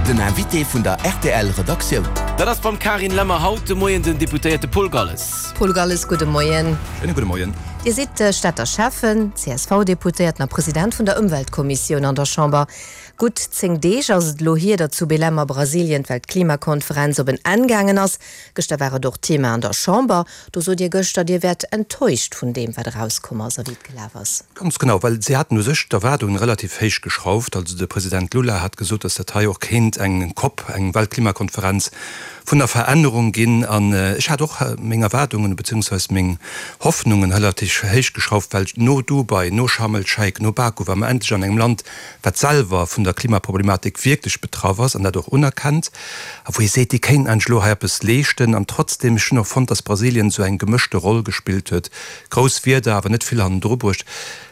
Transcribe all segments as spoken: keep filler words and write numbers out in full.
Den Invité vun der R T L Redaktioun. Dat ass beim Carine Lemmer haut de Moien den Deputéierte Paul Galles. Paul Galles, gudde Moien. Schéine gudde Moien. Dir sidd Stater Schäffen, C S V-Deputéierten a President vun der Ëmweltkommissioun an der Chamber. Gutt zéng Deeg ass et elo hier, datt zu Belém a Brasilien d'Weltklimakonferenz op en Enn gaangen ass. Gëschter war et och Thema an der Chamber. Do sot Dir gëschter, Dir wäert enttäuscht vun deem, wat erauskomm ass a wéi et gelaf ass. Ganz genau, well si haten u sech d'Erwaardungen relativ héich geschrauft. Also de President Lula hat gesot, datt dat hei och kéint eng COP, eng Weltklimakonferenz vun der Verännerung ginn. An ech hat och meng Erwaardungen beziehungsweise meng Hoffnungen relativ héich geschrauft, well no Dubai, no Sharm el-Sheikh, no Baku war mer endlech an engem Land, wat selwer vun der Klimaproblematik wierklech betraff ass an dat och unerkennt a wou ee seet, déi kéinten eigentlech elo hei eppes leeschten. An trotzdem, ech hunn och fonnt, datt Brasilien esou eng gemëschte Roll gespillt huet, grouss Wierder, awer net vill hannendru bruecht.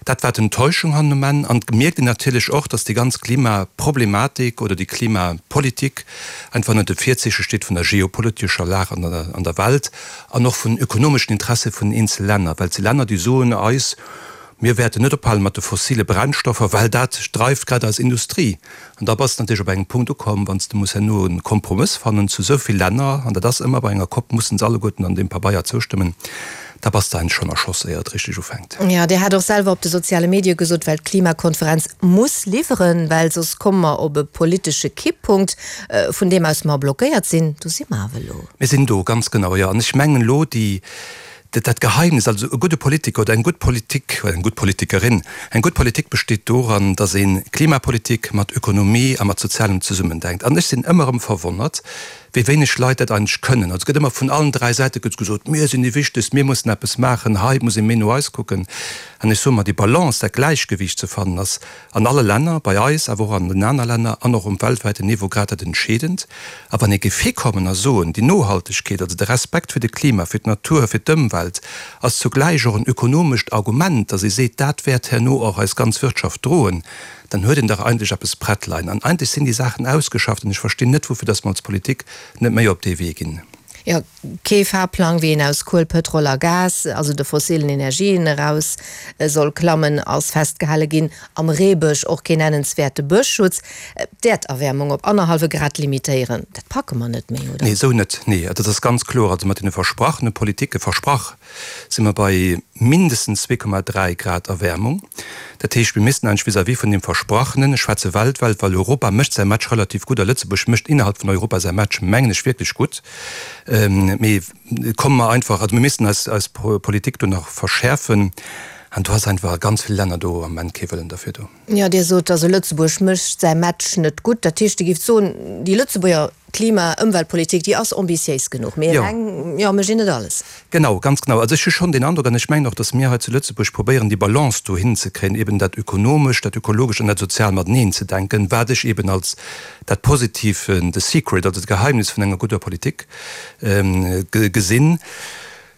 Dat war d'Enttäuschung hannen um Enn. An et mierkt een natierlech och, datt déi ganz Klimaproblematik oder déi Klimapolitik einfach ënner de Virzeeche steet vun der geopolitescher Lag an der an der Welt an och vun ökonomeschen Interesse vun eenzele Länner, well et si Länner, déi soen eis, Mir wäerten net ophale mat de fossile Brennstoffer, well dat dreift grad eis Industrie. An da bass de natierlech op engem Punkt ukomm, wann s de muss herno e Kompromëss fannen zu esou vill Länner, an dat ass ëmmer bei enger COP, mussen se alleguerten an deem Pabeier zoustëmmen, da bass de eigentlech schonn erschoss, éier et richteg ufänkt. Jo, Dir hat och selwer op de soziale Medie gesot, d'Weltklimakonferenz muss liwweren, well soss komme mer op e politesche Kipppunkt, vun deem aus mer blockéiert sinn. Do si mer awer elo. Mir sinn do, ganz genau, jo. An ech mengen elo, déi, dat Geheimnis, also e gudde Politiker oder eng gutt Politik oder eng gutt Politikerin, eng gutt Politik besteet doran, datt ee Klimapolitik mat Ökonomie a mat Sozialem zesummendenkt. An ech sinn ëmmer erëm verwonnert, wéi wéineg Leit dat eigentlech kënnen. Also et gëtt ëmmer vun allen dräi Säite gëtt gesot, mir sinn déi Wichtegst, mir mussen eppes maachen, hei muss ee méi no eis kucken. An ech soe mer, déi Balance, dat Gläichgewiicht ze fannen, ass an alle Länner, bei eis, awer och an den aner Länner an och um weltwäiten Niveau grad dat Entscheedend. A wann ee géif hikommen a soen, déi Nohaltegkeet, also de Respekt fir de Klima, fir d'Natur, fir d'Ëmwelt, ass zugläich och en ökonomescht Argument, datt ee seet, dat wäert herno och eis ganz Wirtschaft droen, dann huet een dach eigentlech eppes prett leien. An eigentlech sinn déi Saachen ausgeschafft an ech verstinn net, woufir datt mer als Politik net méi op dee Wee ginn. Jo, kee Fahrplang, wéi een aus Kuel, Pëtrol a Gas, also de fossilen Energien, eraus soll klammen, ass festgehale ginn. Am Reebësch och keen nennenswäerte Bëschschutz. D'Äerderwäermung op annerhallwe Grad limitéieren, dat packe mer net méi, oder? Nee, esou net, nee. Dat ass ganz kloer. Also mat deene versprachene Politike, versprach, si mer bei mindestens zwee Komma dräi Grad Erwäermung. Dat heescht, mir missten eigentlech vis-à-vis vun deem Versprachenen, ech schwätze weltwäit, well Europa mécht säi Match relativ gutt a Lëtzebuerg mécht innerhalb vun Europa säi Match, mengen ech, wierklech gutt, mee komme mer einfach, also mir missten eis, eis Politik do nach verschäerfen an do ass einfach a ganz ville Länner do am Ament kee Wëllen derfir do. Jo, Dir sot also, Lëtzebuerg mécht säi Match net gutt. Dat heescht, Dir géift soen, déi Lëtzebuerger Klima-, Ëmweltpolitik, déi ass ambitiéis genuch, mee eleng, jo, mécht een net alles. Genau, ganz genau. Also ech hu schonn deen Androck, an ech mengen och, datt mir hei zu Lëtzebuerg probéieren, déi Balance do hinzekréien, eben dat Ökonomescht, dat Ökologescht an dat Sozial mateneen ze denken, wat ech eben als dat Positiv, the secret, also d'Geheimnis vun enger gudder Politik gesinn.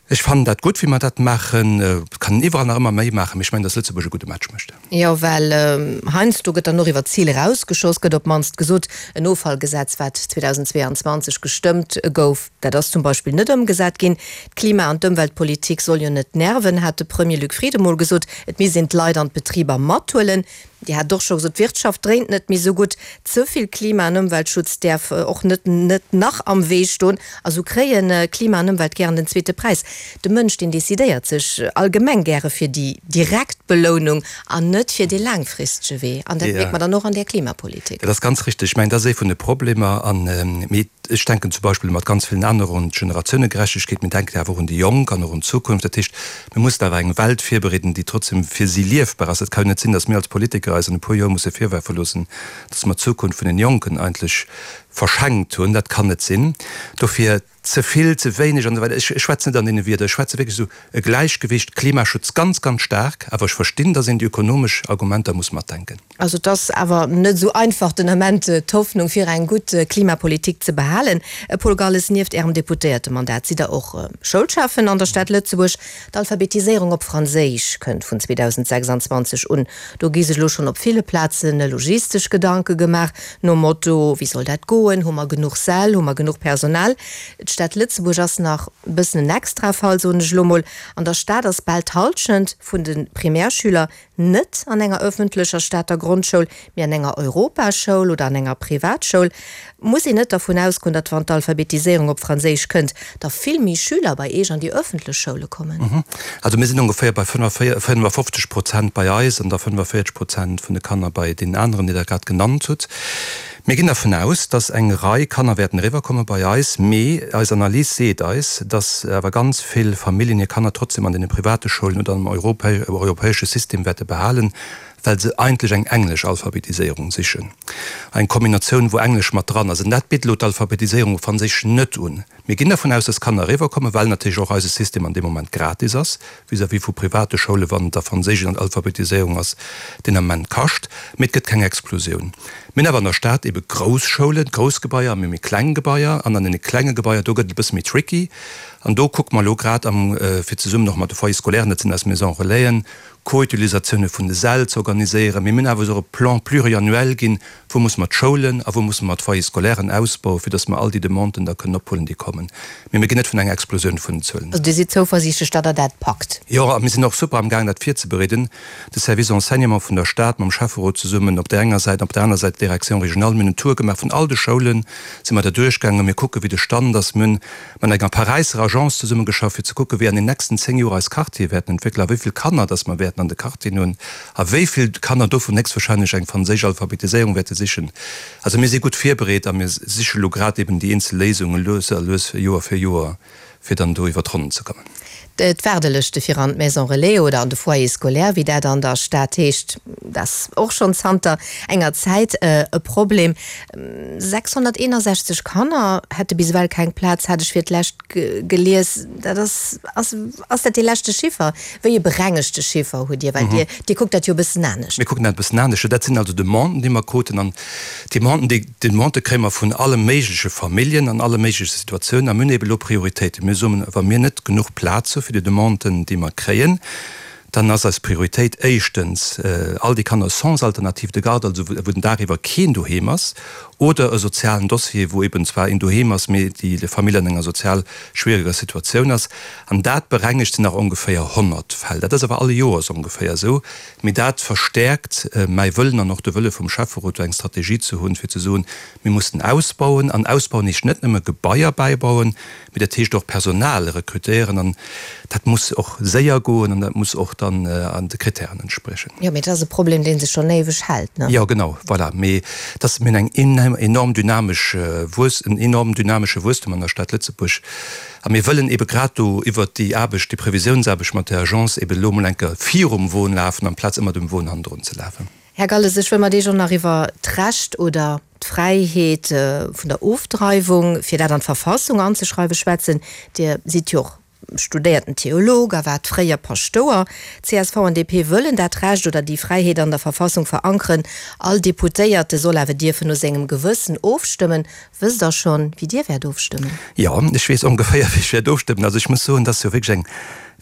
Ech fannen dat gutt, wéi mer dat maachen. Et kann een iwwerall nach ëmmer méi maachen, mee ech mengen, datt Lëtzebuerg e gudde Match mécht. Jo, well heiansdo gëtt dann och iwwer d'Zil erausgeschoss, gëtt op d'mannst gesot. En Offallgesetz, wat zweedausendzweeanzwanzeg gestëmmt gouf, dat ass zum Beispill net ëmgesat ginn. D'Klima an d'Ëmweltpolitik soll jo net nerven, hat de Premier Luc Frieden mol gesot. Et misst een d'Leit an d'Betriber mathuelen. Dir hat och scho gesot, d'Wirtschaft dréint net méi sou gutt. Ze vill Klima an Ëmweltschutz däerf och net net nach am Wee stoen. A sou kréien Klima an Ëmwelt gären den zweete Präis. De Mënsch, deen decidéiert sech allgemeng gäre fir déi direkt Belounung an net fir dee laangfristege Wee. An dat mierkt mer dann och an där Klimapolitik. Dat ass ganz richteg. Ech mengen, dat ass ee vun de Problemer. An, mee ech denken zum Beispill mat ganz villen anere un d'Generatiounegerechtegkeet. Mir denken awer och un déi Jonk an och un d'Zukunft. Dat heescht, mir mussen awer eng Welt virbereeden, déi trotzdem fir si liefbar ass. Et ka jo net sinn, datt mir als Politiker eis an e puer Joer musse virwerfe loossen, datt mer d'Zukunft vun den Jonken eigentlech verschenkt hunn. Dat kann net sinn. Dofir, ze vill, ze wéineg an esou weider, ech schwätzen net an deene Wierder, ech schwätze wierklech esou e Gläichgewicht, Klimaschutz ganz, ganz staark, awer ech verstinn, datt een déi ökonomesch Argumenter muss matdenken. Also et ass awer net esou einfach den Ament d'Hoffnung fir eng gutt Klimapolitik ze behalen. Paul Galles, nieft Ärem Deputéiertemandat sidd Der och Schoulschäffen an der Stad Lëtzebuerg. D'Alphabetiséierung op Franséisch kënnt vun zweedausendsechsanzwanzeg un. Do gi sech elo schonn op ville Plazen logistesch Gedanke gemaach, nom Motto, Wéi soll dat goen? Hu mer genuch Säll? Hu mer genuch Personal? D'Stad Lëtzebuerg ass nach e bëssen en Extrafall, soen ech elo mol. An der Stad ass bal d'Hallschent vun de Primärschüler net an enger ëffentlecher Stater Grondschoul, mee an enger Europaschoul oder an enger Privatschoul. Muss een net dervun ausgoen, datt wann d'Alphabetiséierung op Franséisch kënnt, da vill méi Schüler bei Iech an déi ëffentlech Schoule kommen? Also mir sinn ongeféier bei fënnefafofzeg Prozent bei eis an da fënnefavierzeg Prozent vun de Kanner bei deenen aneren, déi Der grad genannt hutt. Mir ginn dervun aus, dass eng Rei Kanner wäerten eriwwerkomme bei eis, mee eis Analys seet eis, dass awer ganz vill Familljen hir Kanner trotzdem an deene private Schoulen oder am europäesche System wäerte behalen, well se eigentlech eng englesch Alphabetiséierung sichen, eng Kombinatioun, wou Englesch mat dran ass. An dat bitt elo d'Alphabetiséierung op Franséisch net un. Mir ginn dervun aus, dass Kanner eriwwerkommen, well natierlech och eise System an deem Moment gratis ass vis-à-vis vu private Schoulen, wann et da Franséisch an Alphabetiséierung ass, deen Ament kascht. Mee et gëtt keng Explosioun. Mir hunn awer an der Stad ebe grouss Schoulen, grouss Gebaier a méi méi kleng Gebaier. An an deene klenge Gebaier, do gëtt et e bësse méi tricky. An do kucke mer elo grad am, fir zesummen och mat de Foyers scolaires, dat sinn eis Maisons relaisen, Co-Utilisatioune vun de Säll ze organiséieren. Mee mir hunn awer och e Plan pluriannuel ginn, wou musse mer d'Schoulen a wou musse mer d'Foyers scolairen ausbauen, fir datt mer all déi Demanden da kënnen ophuelen, déi kommen. Mee mir ginn net vun enger Explosioun vun den Zuelen. Also Dir sidd zouversiichtlech, datt Der dat packt? Jo, a mir sinn och super am Gaang, dat virzebereeden. De Service Enseignement vun der Stad mam Schäfferot zesummen op där enger Säit an op där aner Säit d'Direction régionale. Mir hunn en Tour gemaach vun all de Schoulen, si mer da duerchgaangen. Mir kucken, wéi de Stand ass. Mir hunn mat enger Paräisser Agence zesummegeschafft, fir ze kucken, wéi an den nächsten zéng Joer eis Quartiere wäerten entwéckelen a wéi vill Kanner dass mer wäerten an de Quartieren hunn a wéi vill Kanner dovun héchstwahrscheinlech eng franséisch Alphabetiséierung wäerte sichen. Also mir si gutt virbereet a mir siche lo grad eben déi eenzel Léisungen lues a lues, Joer fir Joer, fir dann do iwwer d'Ronnen ze kommen. D'Waardelëschte fir an d'Maison relais oder an de Foyer scolaire, wéi dat an der Stad heescht, dat ass och schonn zanter enger Zäit e Problem. sechshonnerteenasechzeg Kanner hätte bis ewell keng Plaz, hat ech fir d'lescht gelies. Dat ass, ass, ass dat dee leschte Chiffer? Wéi e berengegte Chiffer hutt Dir? Well Dir, Dir kuckt dat jo e bëssen anescht. Mir kucken dat e bëssen anescht. Dat sinn also Demanden, déi mer kruten. An Demanden, déi Demandë kréie mer vun alle méigleche Familljen an alle méigleche Situatiounen. A mir hunn eeben elo Prioritéiten. Mir soen, wa mir net genuch Plaz hu fir déi Demanden, déi mer kréien, dann ass eis Prioritéit éischtens all déi Kanner sans alternative de garde, also wou den Dag iwwer keen doheem ass, oder e sozialen Dossier, wou eben zwar een doheem ass, mee déi Famill an enger sozial schwiereger Situatioun ass. An dat berengegt sinn nach ongeféier honnert Fäll. Dat ass awer all Joers ongeféier esou. Mee dat verstäerkt mäi Wëllen an och de Wëlle vum Schäfferot, do eng Strategie ze hunn, fir ze soen, Mir mussen ausbauen. An ausbauen heescht net nëmme Gebaier bäibauen, mee dat heescht och Personal rekrutéieren. An dat muss och séier goen an dat muss och dann an de Kritären entspriechen. Jo, mee dat ass e Problem, dee sech schonn éiweg hält, ne? Jo, genau, voilà. Mee dass mir hunn eng enorm dynamesch Wuess, en enorm dynamesche Wuesstum an der Stad Lëtzebuerg. A mir wëllen ebe grad do iwwert déi Aarbecht, déi Previsiounsarbecht mat der Agence ebe elo emol eng Kéier virum Won lafen, amplaz ëmmer dem Won hannendrun ze lafen. Här Galles, ech wëll mat Iech och nach iwwer d'Recht oder d'Fräiheet vun der Ofdreiwung, fir dat an d'Verfassung anzeschreiwen, schwätzen. Dir sidd jo och studéierten Theolog a waart fréier Paschtouer. Csv an D P wëllen dat Recht oder déi Fräiheet an der Verfassung verankeren. All Deputéierte soll awer dierfen no sengem Gewëssen ofstëmmen. Wësst Der schonn, wéi Dir wäert ofstëmmen? Jo, ech weess ongeféier, wéi ech wäert ofstëmmen. Also ech muss soen, dat ass jo wierklech eng,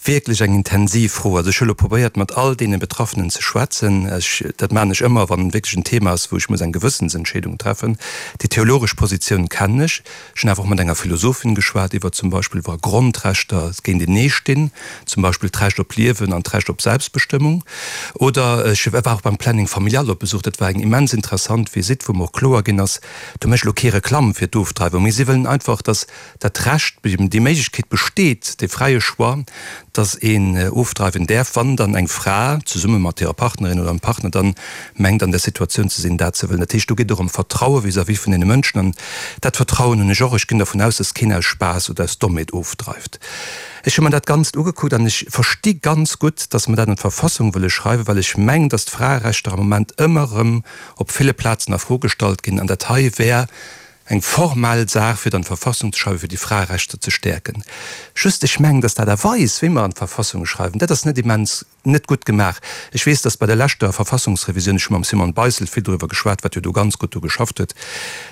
wierklech eng intensiv Fro. Also ech hu lo probéiert, mat all deene Betraffenen ze schwätzen. Ech, dat maachen ech ëmmer, wann wierklech en Thema ass, wou ech muss eng Gewëssensentscheedung treffen. Déi theologesch Positioun kennen ech. Ech hunn awer och mat enger Philosophin geschwat iwwer zum Beispill wa Grondrechter géintenee stinn, zum Beispill d'Recht op Liewen an d'Recht op Selbstbestëmmung. Oder ech war och beim Planning familial op Besuch. Dat war eng immens interessant Visitt, wou mer och kloer ginn ass, do mécht elo kee Reklamm fir d'Ofdreiwung, mee si wëllen einfach, datt dat Recht, déi Méiglechkeet besteet, dee fräie Choix, dass een ofdreiwen däerf, wann dann eng Fra zesumme mat hirer Partnerin oder dem Partner dann mengt an där Situatioun ze sinn, dat ze wëllen. Dat heescht, do geet et och ëm Vertraue vis-à-vis vun deene Mënschen. An dat Vertrauen hunn ech och. Ech ginn dervun aus, dass keen aus Spaass oder aus Dommheet ofdreift. Ech hu mer dat Ganzt ugekuckt an ech versti ganz gutt, dass mer dat an d'Verfassung wëlle schreiwen, well ech mengen, dass d'Fraerechter am Moment ëmmer erëm op ville Plazen a Fro gestallt ginn. An dat hei wär eng formell Saach, fir et an d'Verfassung ze schreiwen, fir déi Fraerechter ze stäerken. Just, ech mengen, dass d'Aart a Weis, wéi mer an d'Verfassung schreiwen, dat ass net immens, net gutt gemaach. Ech weess, dass bei der leschter Verfassungsrevisioun, ech hu mam Simone Beissel vill doriwwer geschwat, wat jo do ganz gutt do geschafft huet,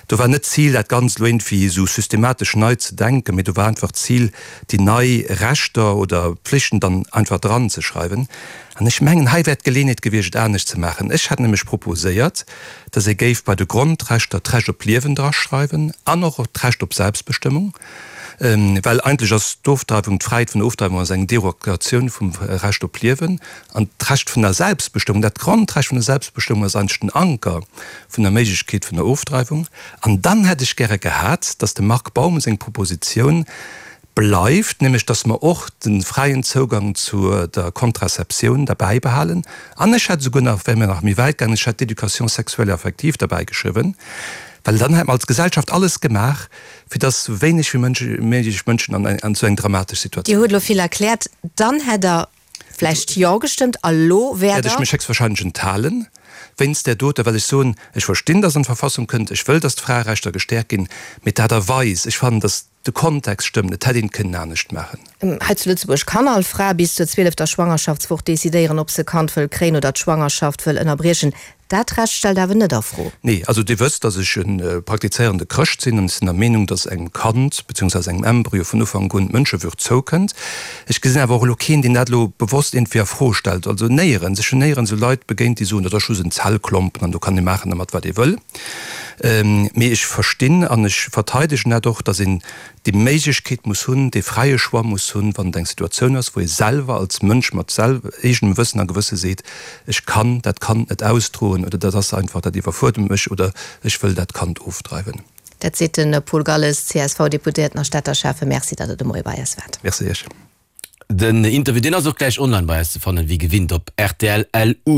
do war net d'Zil, dat Ganzt elo iergendwéi esou systematesch nei ze denken, mee do war einfach d'Zil, déi nei Rechter oder Pflichten dann einfach dranzeschreiwen. An ech mengen, hei wär d'Geleenheet gewiescht, et anescht ze maachen. Ech hätt nämlech proposéiert, dass ee géif bei de Grondrechter d'Recht op Liewen draschreiwen an och d'Recht op Selbstbestëmmung. Well eigentlech ass d'Ofdreiwung, d'Fräiheet vun der Ofdreiwung ass eng Derogatioun vum Recht op Liewen. An d'Recht vun der Selbstbestëmmung, dat Grondrecht vun der Selbstbestëmmung ass eigentlech den Anker vun der Méiglechkeet vun der Ofdreiwung. An dann hätt ech gäre gehat, dass dem Marc Baum seng Propositioun bleift, nämlech dass mer och de fräien Zougang zu der Contraceptioun derbäi behalen. An ech hätt esouguer nach, wäre mir nach méi wäit gaangen, ech hätt d'Éducation sexuelle et affective derbäi geschriwwen, well dann hätt mer als Gesellschaft alles gemaach, fir dass esou wéineg wéi méiglech Mënschen an esou eng dramatesch Situatioun. Dir hutt elo vill erkläert. Dann hätt Der vläicht Jo gestëmmt a lo wäert Der? Wäert ech mech héchstwahrscheinlech enthalen wéinst där dote, well ech soen, ech verstinn, dass an d'Verfassung kënnt, ech wëll, dass d'Fraerechter gestäerkt ginn, mee d'Aart a Weis, ech fannen, dass de Kontext stëmmt, et hätt een et kënnen anescht maachen. Hei zu Lëtzebuerg kann all Fra bis zur zwielefter Schwangerschaftswoch decidéieren, ob se e Kand wëll kréien oder d'Schwangerschaft wëll ënnerbriechen. Dat Recht stellt awer net a Fro. Nee, also Dir wësst, dass ech e praktizéierende Chrëscht sinn an ech sinn der Meenung, dass engem Kand beziehungsweise engem Embryo vun Ufank un d'Mënschewürd zoukënnt. Ech gesinn awer och elo keen, deen dat elo bewosst iergendwéi a Fro stellt. Also néierens, ech hunn néierens esou Leit begéint, déi soen, dat ass just en Zellklompen an do kann ee maachen dermat, wat ee wëll. Mee ech verstinn an ech verteidegen dat och, dass een déi Méiglechkeet muss hunn, dee fräie Choix muss hunn, wann et eng Situatioun ass, wou ee selwer als Mënsch mat eegenem Wëssen a Gewësse seet, ech kann dat Kand net ausdroen oder dat ass einfach, dat iwwerfuerdert mech oder ech wëll dat Kand ofdreiwen. Dat seet de Paul Galles, C S V-Deputéierten a Stater Schäffen. Merci, datt Der de Moie bei eis waart. Merci Iech. Den Interview, deen ass och gläich online bei eis ze fannen, wéi gewinnt op rtl punkt L U.